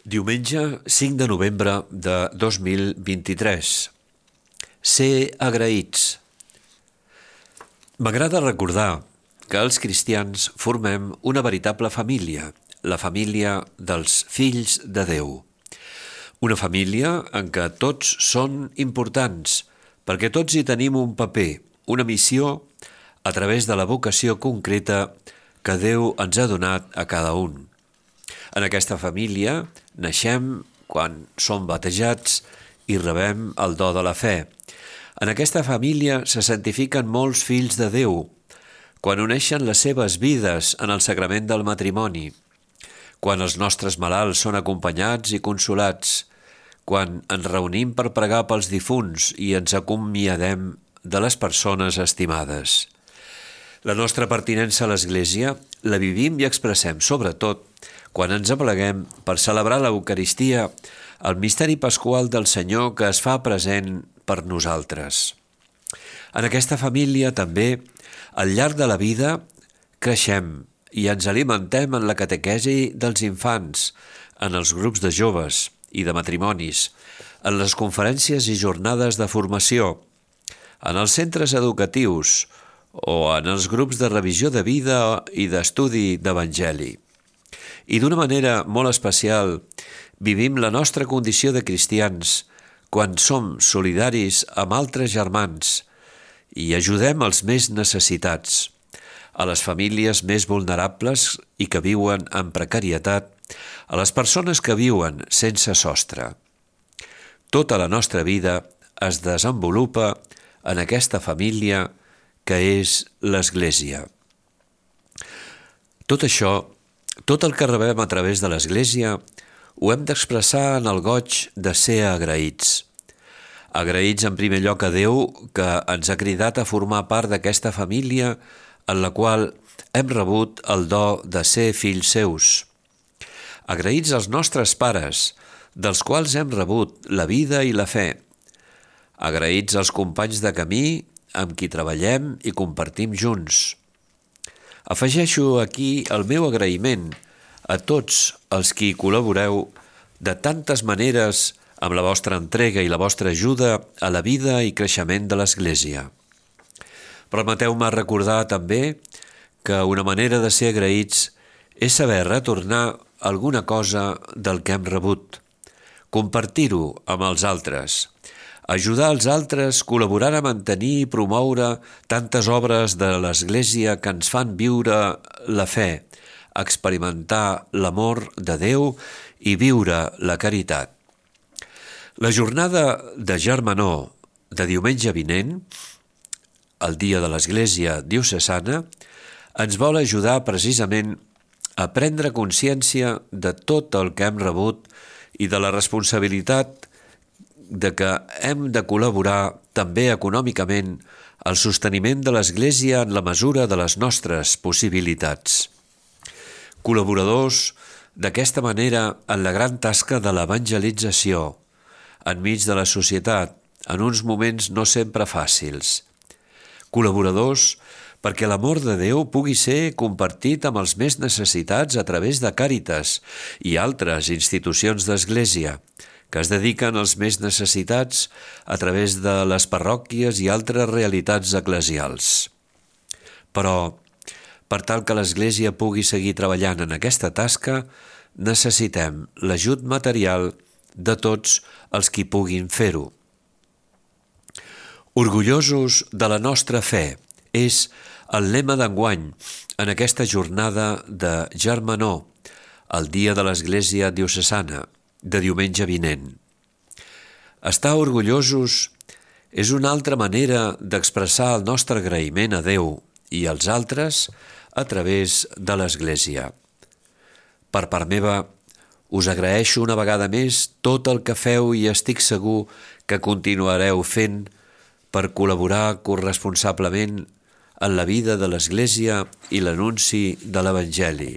Diumenge 5 de novembre de 2023. Ser agraïts. M'agrada recordar que els cristians formem una veritable família, la família dels fills de Déu. Una família en què tots són importants, perquè tots hi tenim un paper, una missió, a través de la vocació concreta que Déu ens ha donat a cada un. En aquesta família naixem quan som batejats i rebem el do de la fe. En aquesta família se santifiquen molts fills de Déu, quan uneixen les seves vides en el sagrament del matrimoni, quan els nostres malalts són acompanyats i consolats, quan ens reunim per pregar pels difunts i ens acomiadem de les persones estimades. La nostra pertinença a l'Església la vivim i expressem, sobretot, quan ens apleguem per celebrar l'Eucaristia, el misteri pasqual del Senyor que es fa present per nosaltres. En aquesta família també, al llarg de la vida, creixem i ens alimentem en la catequesi dels infants, en els grups de joves i de matrimonis, en les conferències i jornades de formació, en els centres educatius o en els grups de revisió de vida i d'estudi d'Evangeli. I d'una manera molt especial vivim la nostra condició de cristians quan som solidaris amb altres germans i ajudem els més necessitats, a les famílies més vulnerables i que viuen en precarietat, a les persones que viuen sense sostre. Tota la nostra vida es desenvolupa en aquesta família que és l'Església. Tot això, tot el que rebem a través de l'Església, ho hem d'expressar en el goig de ser agraïts. Agraïts en primer lloc a Déu, que ens ha cridat a formar part d'aquesta família en la qual hem rebut el do de ser fills seus. Agraïts als nostres pares, dels quals hem rebut la vida i la fe. Agraïts als companys de camí amb qui treballem i compartim junts. Afegeixo aquí el meu agraïment a tots els qui col·laboreu de tantes maneres amb la vostra entrega i la vostra ajuda a la vida i creixement de l'Església. Permeteu-me recordar també que una manera de ser agraïts és saber retornar alguna cosa del que hem rebut, compartir-ho amb els altres, ajudar els altres col·laborant a mantenir i promoure tantes obres de l'Església que ens fan viure la fe, experimentar l'amor de Déu i viure la caritat. La jornada de Germanor de diumenge vinent, el dia de l'Església diocesana, ens vol ajudar precisament a prendre consciència de tot el que hem rebut i de la responsabilitat de que hem de col·laborar també econòmicament al sosteniment de l'Església en la mesura de les nostres possibilitats. Col·laboradors d'aquesta manera en la gran tasca de l'evangelització, enmig de la societat, en uns moments no sempre fàcils. Col·laboradors perquè l'amor de Déu pugui ser compartit amb els més necessitats a través de Càritas i altres institucions d'Església, que es dediquen als més necessitats a través de les parròquies i altres realitats eclesials. Però, per tal que l'Església pugui seguir treballant en aquesta tasca, necessitem l'ajut material de tots els qui puguin fer-ho. Orgullosos de la nostra fe és el lema d'enguany en aquesta jornada de Germanor, el dia de l'Església diocesana, de diumenge vinent. Estar orgullosos és una altra manera d'expressar el nostre agraïment a Déu i als altres a través de l'Església. Per part meva, us agraeixo una vegada més tot el que feu i estic segur que continuareu fent per col·laborar corresponsablement en la vida de l'Església i l'anunci de l'Evangeli,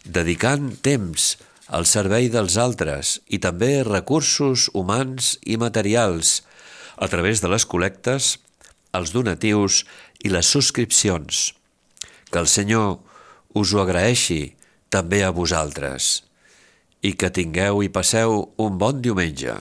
dedicant temps al servei dels altres i també recursos humans i materials a través de les col·lectes, els donatius i les subscripcions. Que el Senyor us ho agraeixi també a vosaltres. i que tingueu i passeu un bon diumenge.